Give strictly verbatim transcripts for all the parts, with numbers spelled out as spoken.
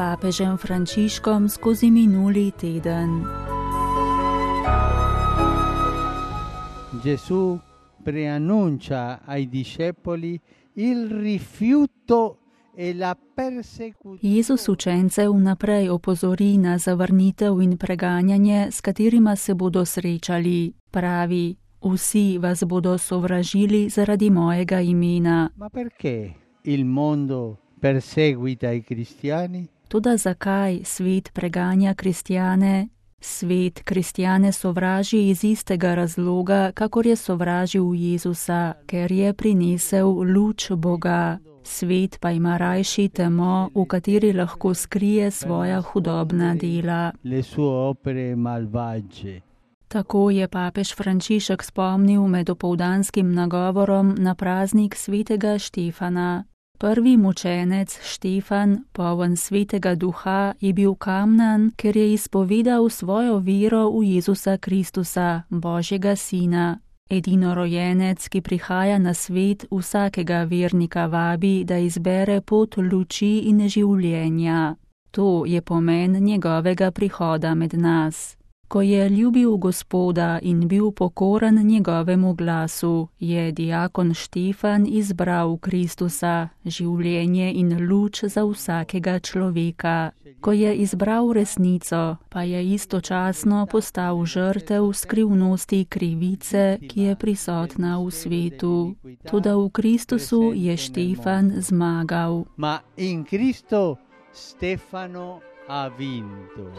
pápežem Frančiškom skozi minuli teden. Gesù preannuncia ai discepoli il rifiuto e la persecuzione. Jezus učence vnaprej opozori na zavrnitev in preganjanje, s katerima se bodo srečali. Pravi: vsi vas bodo sovražili zaradi mojega imena. Ma perché il mondo perseguita i cristiani? Toda zakaj svet preganja kristjane? Svet kristjane sovraži iz istega razloga, kakor je sovražil Jezusa, ker je prinesel luč Boga. Svet pa ima rajši temo, v kateri lahko skrije svoja hudobna dela. Le sue opere malvagie. Tako je papež Frančišek spomnil med opoldanskim nagovorom na praznik svetega Štefana. Prvi mučenec Štefan, poln svetega duha, je bil kamnan, ker je izpovedal svojo vero v Jezusa Kristusa, Božjega sina. Edinorojenec, ki prihaja na svet, vsakega vernika vabi, da izbere pot luči in življenja. To je pomen njegovega prihoda med nas. Ko je ljubil Gospoda in bil pokoren njegovemu glasu, je diakon Štefan izbral Kristusa, življenje in luč za vsakega človeka. Ko je izbral resnico, pa je istočasno postal žrtev skrivnosti krivice, ki je prisotna v svetu. Toda v Kristusu je Štefan zmagal. Ma in Cristo Stefano ha vinto.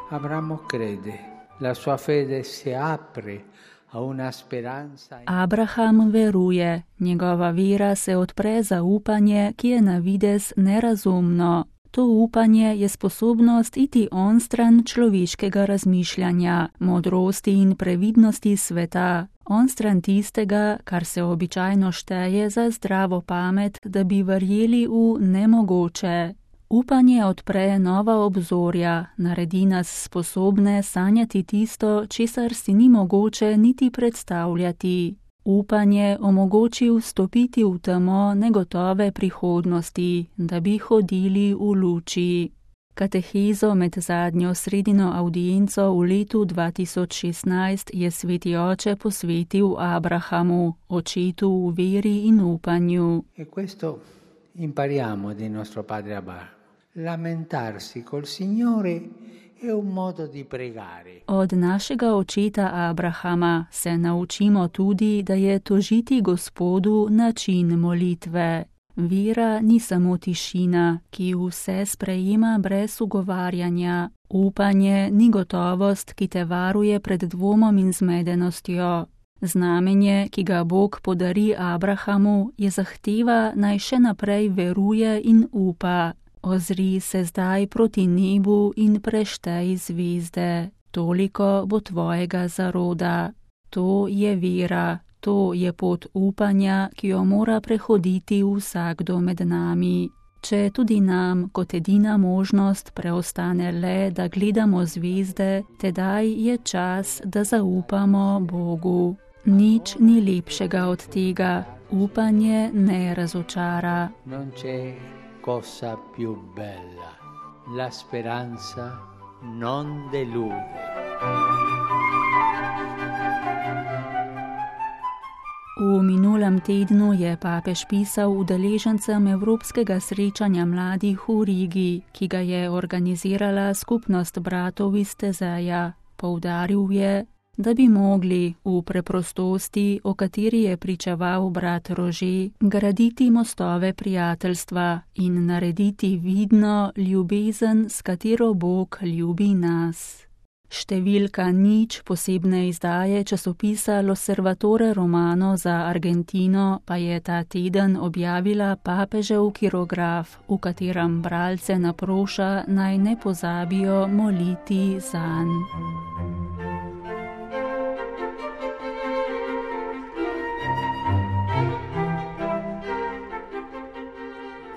Abramo crede, la sua fede si apre a una speranza. Abraham veruje, njegova vera se odpre za upanje, ki je na videz nerazumno. To upanje je sposobnost iti onstran človeškega razmišljanja, modrosti in previdnosti sveta, onstran tistega, kar se običajno šteje za zdravo pamet, da bi verjeli v nemogoče. Upanje odpre nova obzorja, naredi nas sposobne sanjati tisto, česar si ni mogoče niti predstavljati. Upanje omogoči vstopiti v temo negotove prihodnosti, da bi hodili v luči. Katehezo med zadnjo sredino avdienco v letu dva tisoč šestnajst je sveti oče posvetil Abrahamu, očetu v veri in upanju. E questo impariamo di nostro padre Abraham. Lamentarsi col Signore è un modo di pregare. Od našega očeta Abrahama se naučimo tudi, da je tožiti Gospodu način molitve. Vera ni samo tišina, ki vse sprejema brez ugovarjanja. Upanje ni gotovost, ki te varuje pred dvomom in zmedenostjo. Znamenje, ki ga Bog podari Abrahamu, je zahteva, naj še naprej veruje in upa. Ozri se zdaj proti nebu in preštej zvezde. Toliko bo tvojega zaroda. To je vera, to je pot upanja, ki jo mora prehoditi vsakdo med nami. Če tudi nam kot edina možnost preostane le, da gledamo zvezde, tedaj je čas, da zaupamo Bogu. Nič ni lepšega od tega. Upanje ne razočara. Non c'è cosa più bella. La speranza non delude. V minulem tednu je papež pisal udeležencem Evropskega srečanja mladih v Rigi, ki ga je organizirala skupnost bratov iz Tezeja. Poudaril je, da bi mogli v preprostosti, o kateri je pričeval brat Rože, graditi mostove prijateljstva in narediti vidno ljubezen, s katero Bog ljubi nas. Številka nič posebne izdaje časopisa L'Osservatore Romano za Argentino pa je ta teden objavila papežev kirograf, v katerem bralce naproša, naj ne pozabijo moliti zanj.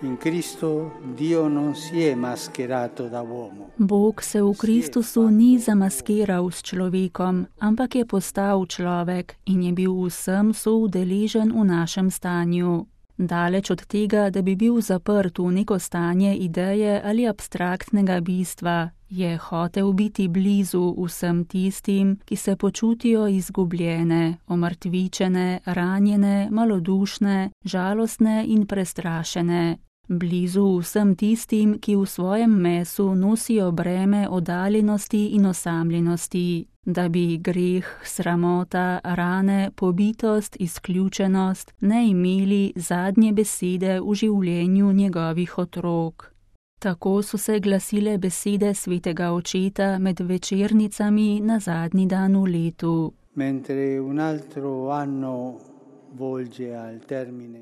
In Cristo Dio non si è mascherato da uomo. Bog se v Kristusu ni zamaskiral s človekom, ampak je postal človek in je bil vsem soudeležen v našem stanju. Daleč od tega, da bi bil zaprt v neko stanje ideje ali abstraktnega bistva, je hotel biti blizu vsem tistim, ki se počutijo izgubljene, omrtvičene, ranjene, malodušne, žalostne in prestrašene. Blizu vsem tistim, ki v svojem mesu nosijo breme oddaljenosti in osamljenosti, da bi greh, sramota, rane, pobitost, izključenost ne imeli zadnje besede v življenju njegovih otrok. Tako so se glasile besede svetega očeta med večernicami na zadnji dan v letu. Mentre un altro anno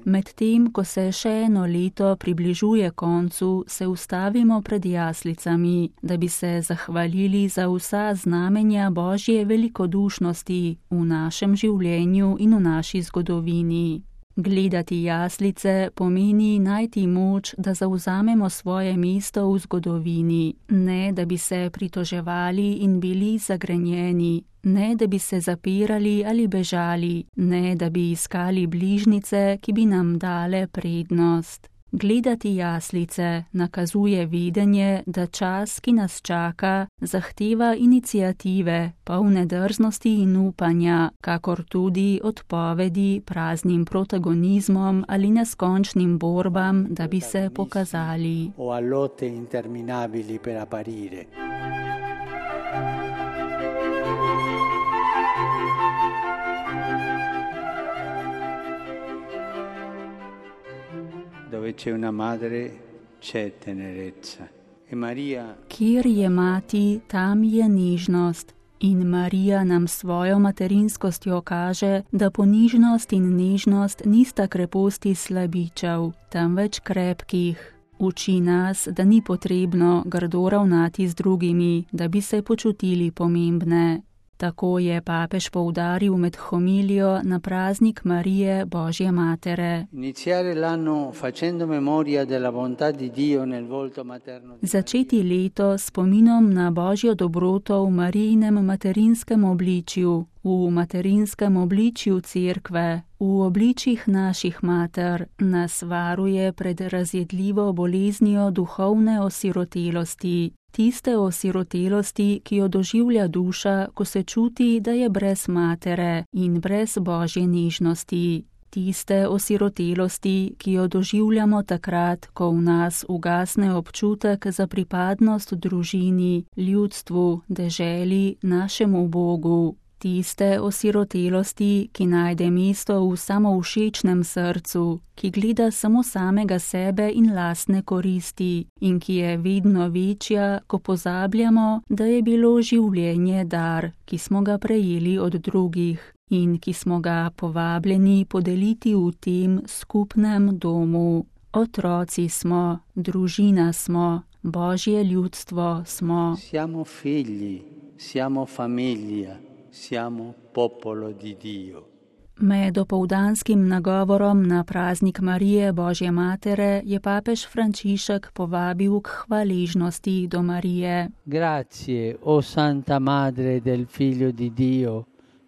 Medtem, ko se še eno leto približuje koncu, se ustavimo pred jaslicami, da bi se zahvalili za vsa znamenja Božje velikodušnosti v našem življenju in v naši zgodovini. Gledati jaslice pomeni najti moč, da zavzamemo svoje mesto v zgodovini, ne da bi se pritoževali in bili zagrenjeni, ne da bi se zapirali ali bežali, ne da bi iskali bližnjice, ki bi nam dale prednost. Gledati jaslice nakazuje vedenje, da čas, ki nas čaka, zahteva iniciative, polne drznosti in upanja, kakor tudi odpovedi praznim protagonizmom ali neskončnim borbam, da bi se pokazali. O a lotte interminabili per apparire. Dove c'è una madre, c'è tenerezza. E Maria... Kjer je mati, tam je nežnost. In Marija nam svojo materinskostjo kaže, da ponižnost in nežnost nista kreposti slabičev, temveč krepkih. Uči nas, da ni potrebno grdo ravnati z drugimi, da bi se počutili pomembne. Tako je papež poudaril med homilijo na praznik Marije Božje Matere. Začeti leto s spominom na Božjo dobroto v Marijinem materinskem obličju, v materinskem obličju Cerkve, v obličjih naših mater, nas varuje pred razjedljivo boleznijo duhovne osirotelosti. Tiste osirotelosti, ki jo doživlja duša, ko se čuti, da je brez matere in brez Božje nežnosti. Tiste osirotelosti, ki jo doživljamo takrat, ko v nas ugasne občutek za pripadnost družini, ljudstvu, deželi, našemu Bogu. Tiste osirotelosti, ki najde mesto v samovšečnem srcu, ki gleda samo samega sebe in lastne koristi in ki je vedno večja, ko pozabljamo, da je bilo življenje dar, ki smo ga prejeli od drugih in ki smo ga povabljeni podeliti v tem skupnem domu. Otroci smo, družina smo, Božje ljudstvo smo. Siamo figli, siamo famiglia. Siamo popolo di Dio. Med opoldanskim nagovorom na praznik Marije Božje Matere je papež Frančišek povabil k hvaležnosti do Marije. Grazie, o Santa Madre del Figlio di Dio,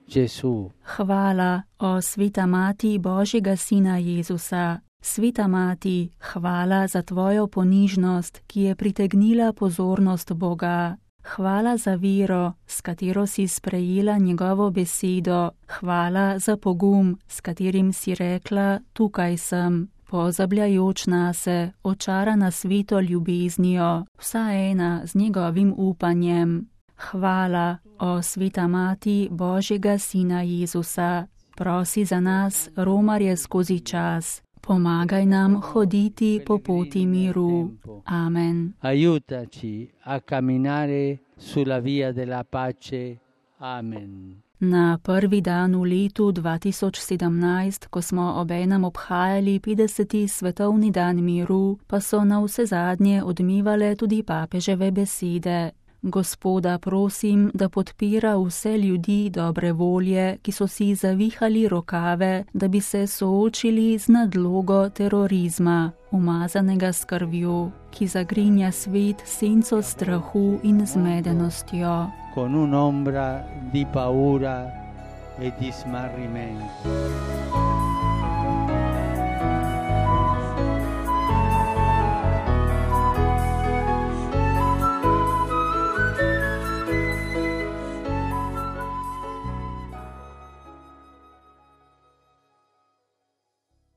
Gesù. Hvala, o Sveta Mati Božjega Sina Jezusa. Sveta Mati, hvala za tvojo ponižnost, ki je pritegnila pozornost Boga. Hvala za vero, s katero si sprejela njegovo besedo. Hvala za pogum, s katerim si rekla, tukaj sem, pozabljajoč nase, očarana sveto ljubeznijo, vsa ena z njegovim upanjem. Hvala, o Sveta Mati Božjega Sina Jezusa. Prosi za nas, romarje skozi čas. Pomagaj nam hoditi po poti miru. Amen. Aiutaci a camminare sulla via della pace. Amen. Na prvi dan v letu dva tisoč sedemnajst, ko smo obenem obhajali petdeseti svetovni dan miru, pa so na vse zadnje odmevale tudi papeževe besede. Gospoda prosim, da podpira vse ljudi dobre volje, ki so si zavihali rokave, da bi se soočili z nadlogo terorizma, umazanega s krvjo, ki zagrinja svet senco strahu in zmedenostjo. Con un'ombra di paura e di smarrimento.